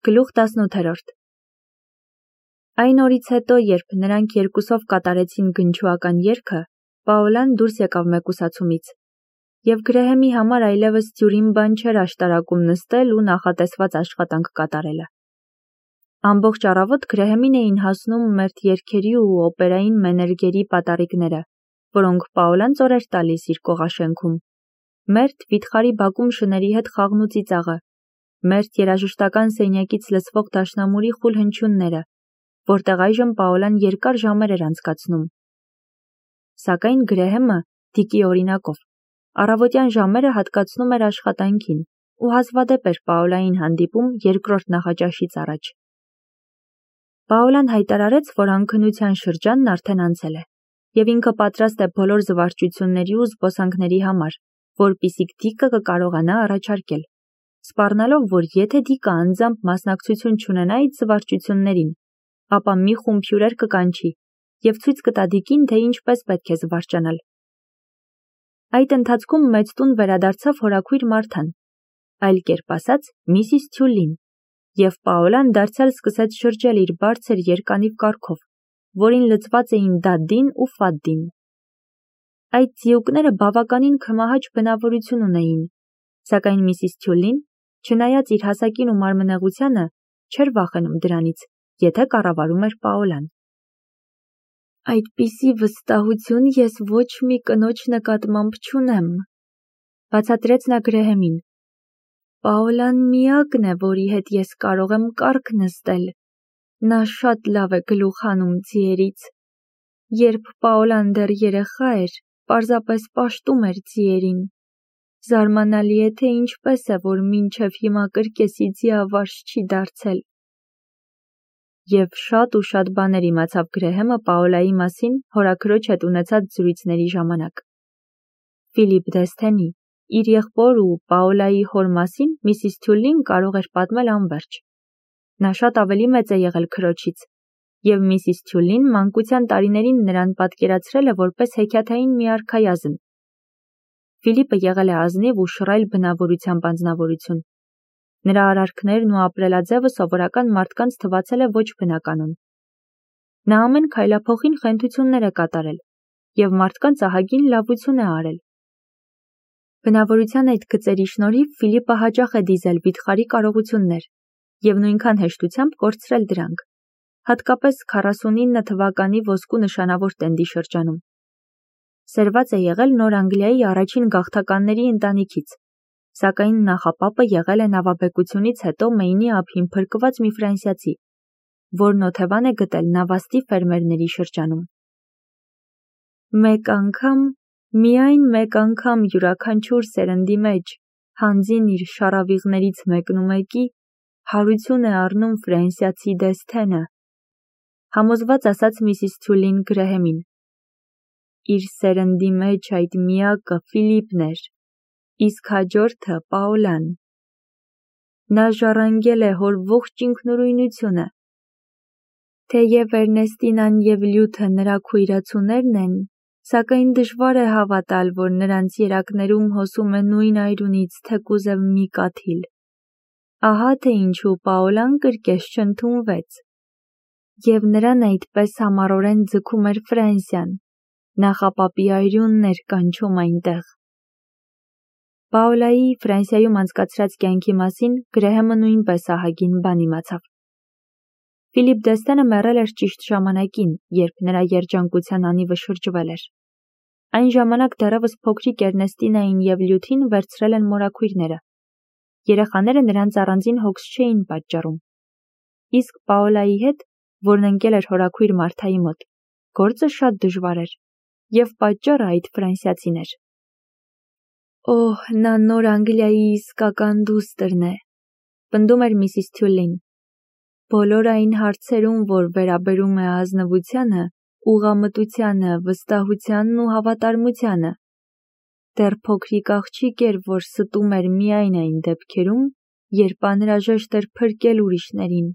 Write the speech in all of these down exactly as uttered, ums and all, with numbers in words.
Գլուխ տասնութերորդ Այն օրից հետո, երբ նրանք երկուսով կատարեցին գնչուական երգը, Պաոլան դուրս եկավ մեկուսացումից, և Գրեհեմի համար այլևս դյուրին բան չէր աշտարակում նստել ու նախատեսված աշխատանք կատարելը։ Ամբողջ առավոտ Գրեհեմին էին հասնում մերթ երգերի ու օպերային մենեջերի պատառիկները, որոնք Պաոլան ծոր էր տալիս իր կողաշենքում, մերթ վիթխարի բակում շների հետ խաղն ու ծիծաղը, մերթ երաժշտական սենյակից լսվող դաշնամուրի խուլ հնչյունները, որտեղ այժմ Պաոլան երկար ժամեր էր անցկացնում։ Սակայն Գրեհեմը, Դիկի օրինակով, առավոտյան ժամերը հատկացնում էր աշխատանքին ու հազվադեպ էր Պաոլային հանդիպում երկրորդ նախաճաշից առաջ։ Պաոլան հայտարարեց, որ անքնության շրջանն արդեն անցել է, և ինքը պատրաստ է բոլոր զվարճությունների ու զբոսանքների համար, որպեսզի Դիկը կկարողանա առաջարկել, սպառնալով, որ եթե Դիկը անձամբ մասնակցություն չունենա այդ զվարճություններին, ապա մի խումբ հյուրեր կկանչի և ցույց կտա Դիկին, թե ինչպես պետք է զվարճանալ։ Այդ ընթացքում մեծ տուն վերադարձավ հորաքույր Մարթան, այլ կերպ ասած Միսիս Թյուլին, և Պաոլան դարձյալ սկսեց շրջել իր բարձր երկանիվ կառքով, որին լցված էին Դադդին ու Ֆադդին։ Այդ ձիուկները բավականին քմահաճ բնավորություն ունեին, սակայն Միսիս Թյուլին, չնայած իր հասակին ու մարմնեղությանը, չէր վախենում դրանից, եթե կառավարում էր Պաոլան։ Այդպիսի վստահություն ես ոչ մի կնոջ նկատմամբ չունեմ, բացատրեց նա Գրեհեմին։ Պաոլան միակն է, որի հետ ես կարող եմ կառք նստել, նա շատ լավ է գլուխ հանում ձիերից։ Երբ Պաոլան դեռ երեխա էր, պարզապես պաշտում էր ձիերին։ Զարմանալի է, թե ինչպես է, որ մինչև հիմա կրկեսի ձիավարժ չի դարձել։ Եվ շատ ու շատ բաներ իմացավ Գրեհեմը Պաոլայի մասին հորաքրոջ հետ ունեցած զրույցների ժամանակ։ Ֆիլիպ Դեսթենի, իր եղբոր ու Պաոլայի հոր մասին Միսիս Թյուլին կարող էր պատմել անվերջ։ Նա շատ ավելի մեծ է եղել քրոջից, և Միսիս Թյուլին մանկության տարիներին նրան պատկերացրել է որպես հեքիաթային մի արքայազն։ Ֆիլիպը եղել է ազնիվ ու շռայլ բնավորությամբ անձնավորություն։ Նրա արարքներն ու ապրելաձևը սովորական մարդկանց թվացել է ոչ բնականon։ Նա ամեն քայլափոխին խենթություններ է կատարել և մարդկանց ահագին լավություն է արել։ Բնավորության այդ գծերի շնորհիվ Ֆիլիպը հաճախ է դիզել վիթխարի կարողություններ և նույնքան հեշտությամբ կորցրել դրանք, հատկապես քառասունինը թվականի ոսկու նշանավոր տենդի շրջանում։ Սերված է եղել Նոր Անգլիայի առաջին գաղթականների ընտանիքից, սակայն նախապապը եղել է նավաբեկությունից հետո Մեյնի ափին փրկված մի ֆրանսիացի, որն օթևան է գտել նավաստի ֆերմերների շրջանում։ Մեկ անգամ, միայն մեկ անգամ յուրաքանչյուր սերնդի մեջ, հանձին իր շառավիղներից մեկնումեկի, հարություն է առնում ֆրանսիացի Դեսթենը, համոզված ասաց Միսիս Թյուլին Գրեհեմին։ Իր սերնդի մեջ այդ միակը Ֆիլիպն էր, իսկ հաջորդը Պաոլան։ Նա ժառանգել է հոր ողջ ինքնուրույնությունը։ Թեև Էրնեստինան և Լյութը նրա քույրացուներն են, սակայն դժվար է հավատալ, որ նրանց երակներում հոսում է նույն այրունից թեկուզև մի կաթիլ։ Ահա թե ինչու Պաոլան կրկես չընդունվեց։ Եվ նրան այդպես համառորեն ձգում էր Ֆրանսիան, նախապապի այրունն էր կանչում այնտեղ։ Պաոլայի Ֆրանսիայում անցկացրած կյանքի մասին Գրեհեմը նույնպես ահագին բան իմացավ։ Ֆիլիպ Դեսթենը մեռել էր ճիշտ ժամանակին, երբ նրա երջանկության անիվը շրջվել էր։ Այն ժամանակ դեռևս փոքրիկ Էրնեստինային և Լյութին վերցրել են մորաքույրները։ Երեխաները նրանց առանձին հոգս չէին պատճառում։ Իսկ Պաոլայի հետ, որն ընկել էր հորաքույր Մարթայի մոտ, գործը շատ դժվար էր, և պատճառը այդ ֆրանսիացին էր։ Օհ, նա Նոր Անգլիայի իսկական դուստրն է, պնդում էր Միսիս Թյուլին։ Բոլոր այն հարցերում, որ վերաբերում է ազնվությանը, ուղղամտությանը, վստահությանն ու հավատարմությանը։ Դեռ փոքրիկ աղջիկ էր, որ ստում էր միայն այն դեպքերում, երբ անհրաժեշտ էր փրկել ուրիշներին։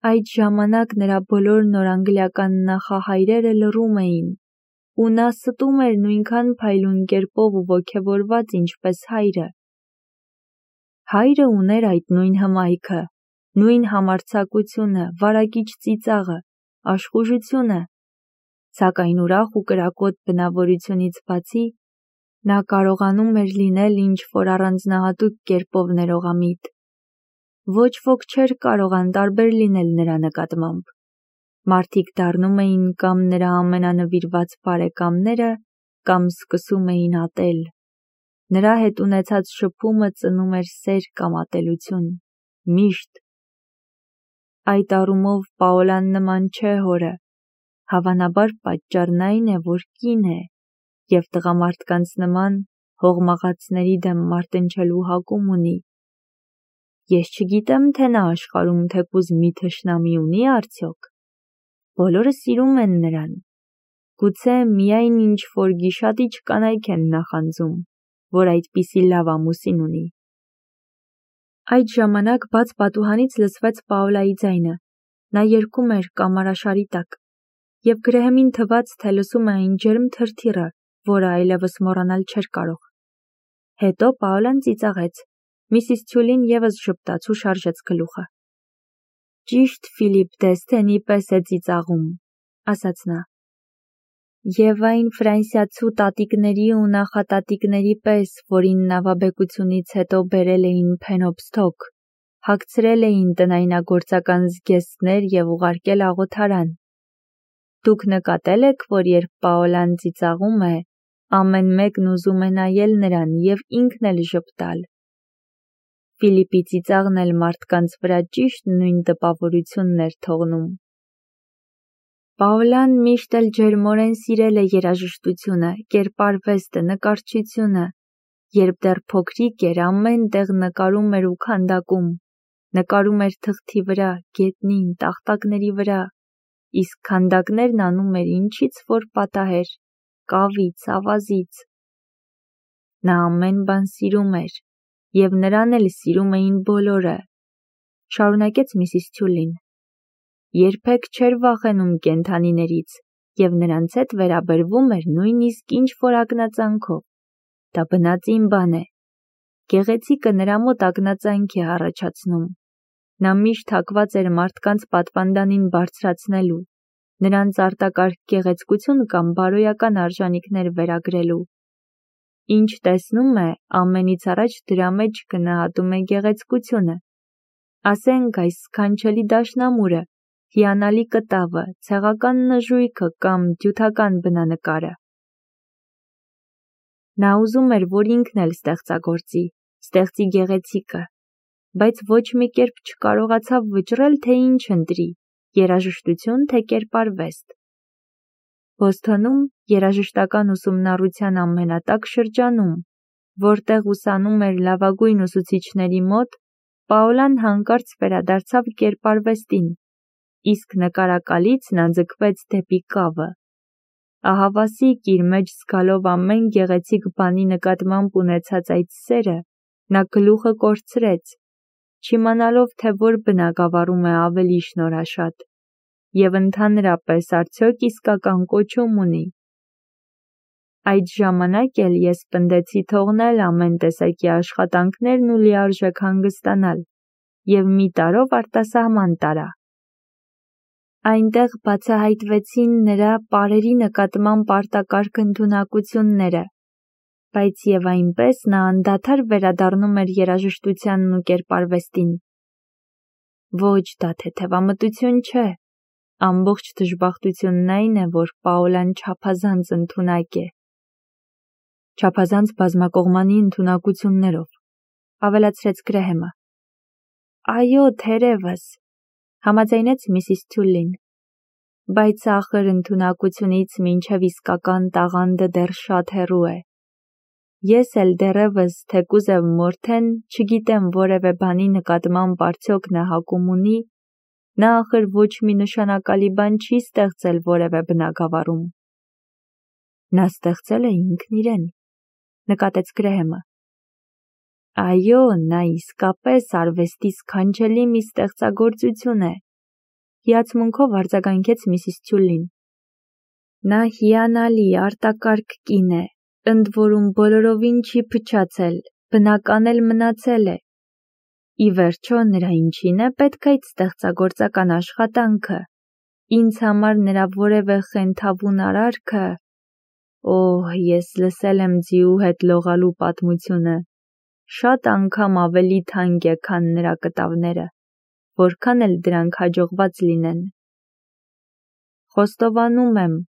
Այդ ժամանակ նրա բոլոր նորանգլիական նախահայրերը լռում էին, ու նա ստում էր նույնքան փայլուն կերպով ու ոգևորված, ինչպես հայրը։ Հայրը ուներ այդ նույն հմայքը, նույն համարձակությունը, վարակիչ ծիծաղը, աշխուժությունը, սակայն ուրախ ու կրակոտ բնավորությունից բացի, նա կարողանում էր լինել ինչ-որ առանձնահատուկ կերպով ներողամիտ։ Ոչ ոք չէր կարող անտարբեր լինել նրա նկատմամբ։ Մարդիկ դառնում էին կամ նրա ամենանվիրված բարեկամները, կամ սկսում էին ատել։ Նրա հետ ունեցած շփումը ծնում էր սեր կամ ատելություն, միշտ։ Այդ առումով Պաոլան նման չէ հորը, հավանաբար պատճառն այն է, որ կին է, և տղամարդկանց նման հողմաղացների դեմ մարտնչելու հակում ունի։ Ես չգիտեմ, թե նա աշխարհում թեկուզ մի թշնամի ունի արդյոք։ Բոլորը սիրում են նրան։ Գուցե միայն ինչ-որ գիշատիչ կանայք են նախանձում, որ այդպիսի լավ ամուսին ունի։ Այդ ժամանակ բաց պատուհանից լսվեց Պաոլայի ձայնը։ Նա երգում էր կամարաշարի տակ, և Գրեհեմին թվաց, թե լսում է այն ջերմ թրթիռը, որը այլևս մոռանալ չէր կարող։ Հետո Պաոլան ծիծաղեց։ Միսիս Թյուլին ևս ժպտաց ու շարժեց գլուխը։ Ճիշտ Ֆիլիպ Դեսթենի պես է ծիծաղում, ասաց նա։ Եվ այն ֆրանսիացու տատիկների ու նախատատիկների պես, որին նավաբեկությունից հետո բերել էին Փենոփսթոք, հագցրել էին տնայնագործական զգեստներ և ուղարկել աղոթարան։ Դուք նկատել եք, որ երբ Պաոլան ծիծաղում է, ամեն մեկն ուզում է նայել նրան և ինքն էլ ժպտալ։ Ֆիլիպի ծիծաղն էլ մարդկանց վրա ճիշտ նույն տպավորությունն էր թողնում։ Պաոլան միշտ էլ ջերմորեն սիրել է երաժշտությունը, կերպարվեստը, նկարչությունը։ Երբ դեռ փոքրիկ էր, ամեն տեղ նկարում էր ու քանդակում, նկարում էր թղթի վրա, գետնին, տախտակների վրա, իսկ քանդակներն անում էր ինչից որ պատահեր, կավից, ավազից։ Նա ամեն բան սիրում էր, և նրան էլ սիրում էին բոլորը, շարունակեց Միսիս Թյուլին։ Երբեք չէր վախենում կենդանիներից, և նրանց հետ վերաբերվում էր նույնիսկ ինչ-որ ակնածանքով։ Դա բնածին բան է։ Գեղեցիկը նրա մոտ ակնածանք է առաջացնում։ Նա միշտ հակված էր մարդկանց պատվանդանին բարձրացնելու, նրանց արտակարգ գեղեցկություն կամ բարոյական արժանիքներ վերագրելու։ Ինչ տեսնում է, ամենից առաջ դրա մեջ գնահատում է գեղեցկությունը։ Ասենք այս սքանչելի դաշնամուրը, հիանալի կտավը, ցեղական նժույգը կամ դյութական բնանկարը։ Նա ուզում էր, որ ինքն էլ ստեղծագործի, ստեղծի գեղեցիկը, բայց ոչ մի կերպ չկարողացավ վճռել, թե ինչ ընտրի՝ երաժշտություն, թե կերպարվեստ։ Բոսթոնում, երաժշտական ուսումնառության ամենատաք շրջանում, որտեղ ուսանում էր լավագույն ուսուցիչների մոտ, Պաոլան հանկարծ վերադարձավ կերպարվեստին, իսկ նկարակալից նա ձգվեց դեպի կավը։ Ահավասիկ իր մեջ զգալով ամեն գեղեցիկ բանի նկատմամբ ունեցած այդ սերը, նա գլուխը կորցրեց, չիմանալով, թե որ բնագավառում է ավելի շնորհաշատ, և ընդհանրապես արդյոք իսկական կոչում ունի։ Այդ ժամանակ էլ ես պնդեցի թողնել ամեն տեսակի աշխատանքներն ու լիարժեք հանգստանալ, և մի տարով արտասահման տարա։ Այնտեղ բացահայտվեցին նրա պարերի նկատմամբ արտակարգ ընդունակությունները, բայց և այնպես նա անդադար վերադառնում էր երաժշտությանն ու կերպարվեստին։ Ոչ, դա թեթևամտություն չէ։ Ամբողջ դժբախտությունն այն է, որ Պաոլան չափազանց ընդունակ է։ Չափազանց բազմակողմանի ընդունակություններով, ավելացրեց Գրեհեմը։ Այո, թերևս, համաձայնեց Միսիս Թյուլին, բայց ախր ընդունակությունից մինչև իսկական տաղանդը դեռ շատ հեռու է։ Ես էլ դեռևս, թեկուզև Մորթեն, չգիտեմ որևէ բանի նկատմամբ արդյոք նա հակում ունի, նա ախր ոչ մի նշանակալի բան չի ստեղծել որևէ բնագավառում։ Նա ստեղծել է ինքն իրեն, նկատեց Գրեհեմը։ Այո, նա իսկապես արվեստի սքանչելի մի ստեղծագործություն է, հիացմունքով արձագանքեց Միսիս Թյուլին։ Նա հիանալի, արտակարգ կին է, ընդ որում բոլորովին չի փչացել, բնական էլ մնացել է, ի վերջո նրա ինչին է պետք այդ ստեղծագործական աշխատանքը, ինձ համար նրա որևէ խենթավուն արարքը, օհ, ես լսել եմ ձիու հետ լողալու պատմությունը, շատ անգամ ավելի թանկ է, քան նրա կտավները, որքան էլ դրանք հաջողված լինեն։ Խոստովանում եմ,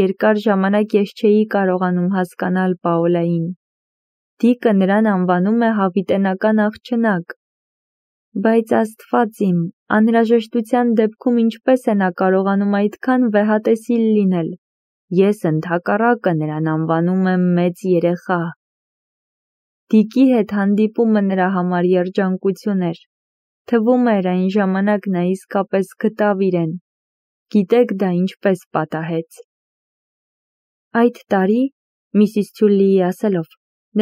երկար ժամանակ ես չէի կարողանում հասկանալ Պաոլային։ Դիկը նրան անվանում է հավիտենական աղջնակ։ Բայց Աստված իմ, անհրաժեշտության դեպքում ինչպես է նա կարողանում այդքան վեհատեսիլ լինել։ Ես ընդհակառակը նրան անվանում եմ մեծ երեխա։ Դիկի հետ հանդիպումը նրա համար երջանկություն էր։ Թվում էր այն ժամանակ նա իսկապես գտավ իրեն։ Գիտեք դա ինչպես պատահեց։ Այդ տարի, Միսիս Թյուլիի ասելով,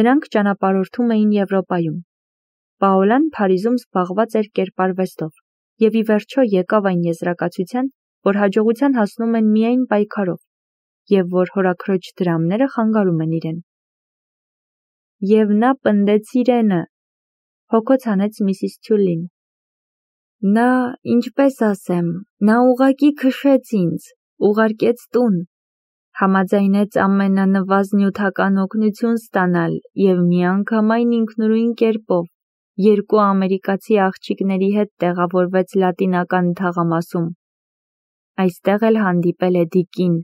նրանք ճանապարհորդում էին Եվրոպայում։ Պաոլան Փարիզում զբաղված էր կերպարվեստով, և ի վերջո եկավ այն եզրակացության, որ հաջողության հասնում են միայն պայքարով, և որ հորաքրոջ դրամները խանգարում են իրեն։ Եվ նա պնդեց իրենը, հոգոց հանեց Միսիս Թյուլին։ Նա, ինչպես ասեմ, նա ուղղակի քշեց ինձ, ուղարկեց տուն, համաձայնեց ամենանվազնյութական օգնություն ստանալ և միանգամայն ինքնուրույն կերպով երկու ամերիկացի աղջիկների հետ տեղավորվեց Լատինական թաղամասում։ Այստեղ էլ հանդիպել է Դիկին։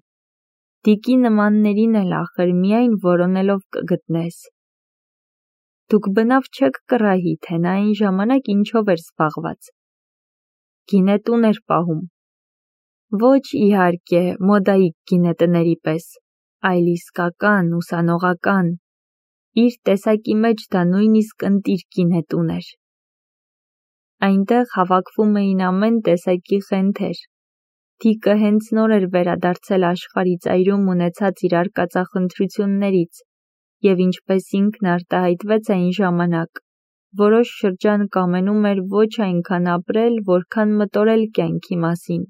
Դիկի նմաններին էլ ախր միայն որոնելով կգտնես։ Դուք բնավ չեք կռահի, թե նա այն ժամանակ ինչով էր զբաղված։ Գինետուն էր պահում։ Ոչ իհարկե մոդայիկ գինետների պես, այլ իսկական, ուսանողական, իր տեսակի մեջ դա նույնիսկ ընտիր գինետուն էր։ Այնտեղ հավաքվում էին ամեն տեսակի խենթեր։ Դիկը հենց նոր էր վերադարձել աշխարհի ծայրում ունեցած իր արկածախնդրություններից, և ինչպես ինքն արտահայտվեց այն ժամանակ, որոշ շրջան կամենում էր ոչ այնքան ապրել, որքան մտորել կյանքի մասին։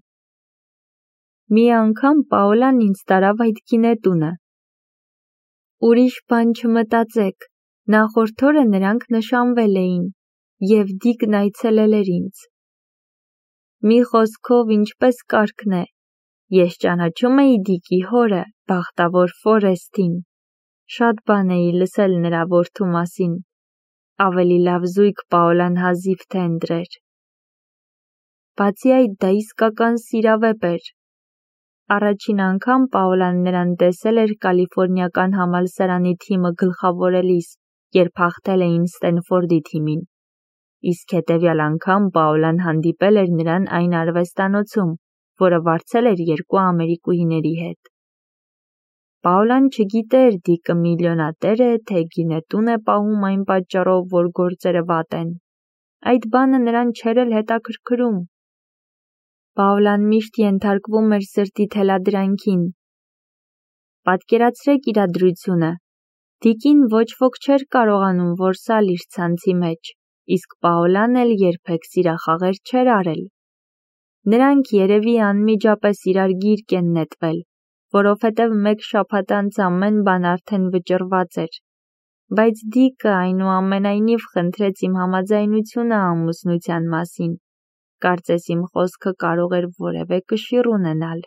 Մի անգամ Պաոլան ինձ տարավ այդ գինետունը։ Ուրիշ բան չմտածեք, նախորդ օրը նրանք նշանվել էին, և Դիկն այցելել էր ինձ։ Մի խոսքով, ինչպես կարգն է, ես ճանաչում էի Դիկի հորը, բախտավոր Ֆորեստին, շատ բան էի լսել նրա որդու մասին, ավելի լավ զույգ Պաոլան հազիվ թե ընտրեր։ Բացի այդ, դա իսկական սիրավեպ էր։ Առաջին անգամ Պաոլան նրան տեսել էր կալիֆորնիական համալսարանի թիմը գլխավորելիս, երբ հաղթել էին Ստենֆորդի թիմին, իսկ հետևյալ անգամ Պաոլան հանդիպել էր նրան այն արվեստանոցում, որը վարձել էր երկու ամերիկուհիների հետ։ Պաոլան չգիտեր Դիկը միլիոնատեր է, թե գինետուն է պահում այն պատճառով, որ գործերը վատ են։ Այդ բանը նրան չէր էլ հետաքրքրում։ Պաոլան միշտ ենթարկվում էր սրտի թելադրանքին։ Պատկերացրեք իրադրությունը։ Դիկին ոչ ոք չէր կարողանում որսալ իր ցանցի մեջ, իսկ Պաոլան էլ երբեք սիրախաղեր չէր արել։ Նրանք երևի անմիջապես իրար գիրկ են նետվել, որովհետև մեկ շաբաթ անց ամեն բան արդեն վճռված էր։ Բայց Դիկը այնուամենայնիվ խնդրեց իմ համաձայնությունը ամուսնության մասին։ Կարծես իմ խոսքը կարող էր որևէ կշիռ ունենալ։